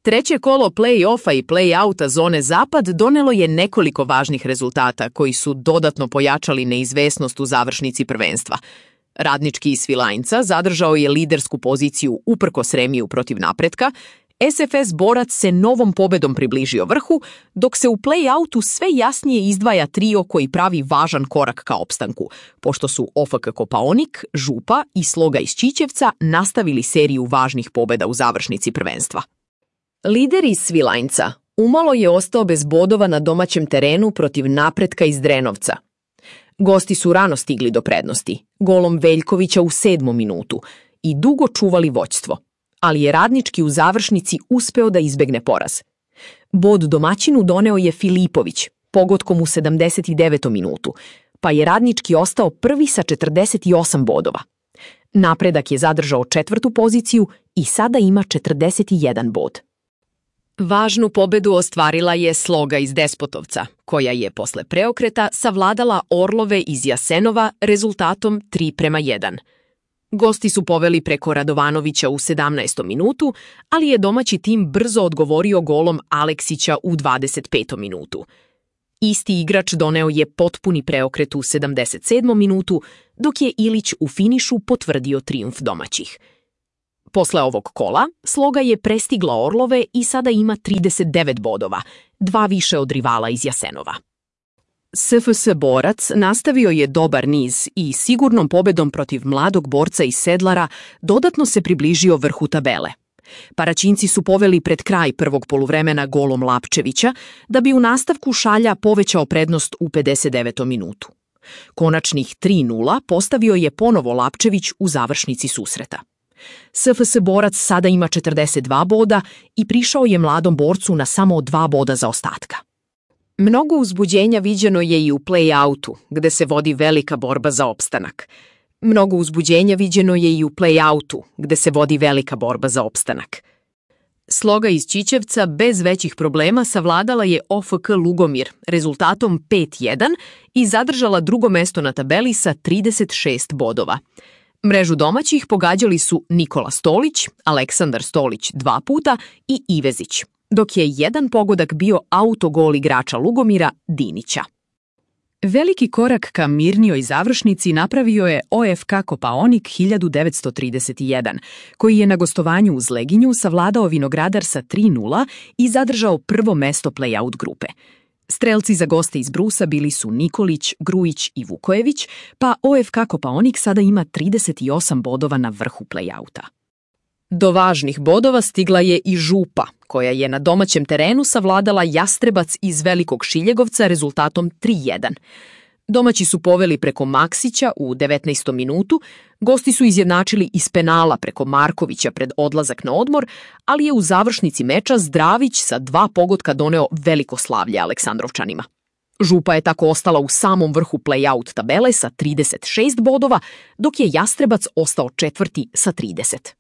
Treće kolo play-offa i play-outa zone Zapad donelo je nekoliko važnih rezultata koji su dodatno pojačali neizvesnost u završnici prvenstva. Radnički iz Svilajnca zadržao je lidersku poziciju uprkos remiju protiv Napretka, SFS Borac se novom pobedom približio vrhu, dok se u play-outu sve jasnije izdvaja trio koji pravi važan korak ka opstanku, pošto su OFK Kopaonik, Župa i Sloga iz Ćićevca nastavili seriju važnih pobeda u završnici prvenstva. Lider iz Svilajnca umalo je ostao bez bodova na domaćem terenu protiv Napretka iz Drenovca. Gosti su rano stigli do prednosti, golom Veljkovića u 7. minutu i dugo čuvali vođstvo, ali je Radnički u završnici uspeo da izbegne poraz. Bod domaćinu doneo je Filipović, pogotkom u 79. minutu, pa je Radnički ostao prvi sa 48 bodova. Napredak je zadržao 4. poziciju i sada ima 41 bod. Važnu pobedu ostvarila je Sloga iz Despotovca, koja je posle preokreta savladala Orlove iz Jasenova rezultatom 3:1. Gosti su poveli preko Radovanovića u 17. minutu, ali je domaći tim brzo odgovorio golom Aleksića u 25. minutu. Isti igrač doneo je potpuni preokret u 77. minutu, dok je Ilić u finišu potvrdio trijumf domaćih. Posle ovog kola, Sloga je prestigla Orlove i sada ima 39 bodova, 2 više od rivala iz Jasenova. SFS Borac nastavio je dobar niz i sigurnom pobedom protiv mladog borca iz Sedlara dodatno se približio vrhu tabele. Paraćinci su poveli pred kraj prvog poluvremena golom Lapčevića, da bi u nastavku Šalja povećao prednost u 59. minutu. Konačnih 3:0 postavio je ponovo Lapčević u završnici susreta. SFS Borac sada ima 42 boda i prišao je mladom borcu na samo 2 boda zaostatka. Mnogo uzbuđenja viđeno je i u play-outu, gde se vodi velika borba za opstanak. Sloga iz Ćićevca bez većih problema savladala je OFK Lugomir rezultatom 5:1 i zadržala drugo mesto na tabeli sa 36 bodova. Mrežu domaćih pogađali su Nikola Stolić, Aleksandar Stolić 2 puta i Ivezić, dok je jedan pogodak bio autogol igrača Lugomira Dinića. Veliki korak ka mirnijoj završnici napravio je OFK Kopaonik 1931, koji je na gostovanju uz Leginju savladao Vinogradar sa 3:0 i zadržao prvo mesto play-out grupe. Strelci za goste iz Brusa bili su Nikolić, Grujić i Vukojević, pa OFK Kopaonik sada ima 38 bodova na vrhu play-outa. Do važnih bodova stigla je i Župa, koja je na domaćem terenu savladala Jastrebac iz Velikog Šiljegovca rezultatom 3:1. Domaći su poveli preko Maksića u 19. minutu, gosti su izjednačili iz penala preko Markovića pred odlazak na odmor, ali je u završnici meča Zdravić sa 2 pogotka doneo veliko slavlje Aleksandrovčanima. Župa je tako ostala u samom vrhu play-out tabele sa 36 bodova, dok je Jastrebac ostao četvrti sa 30.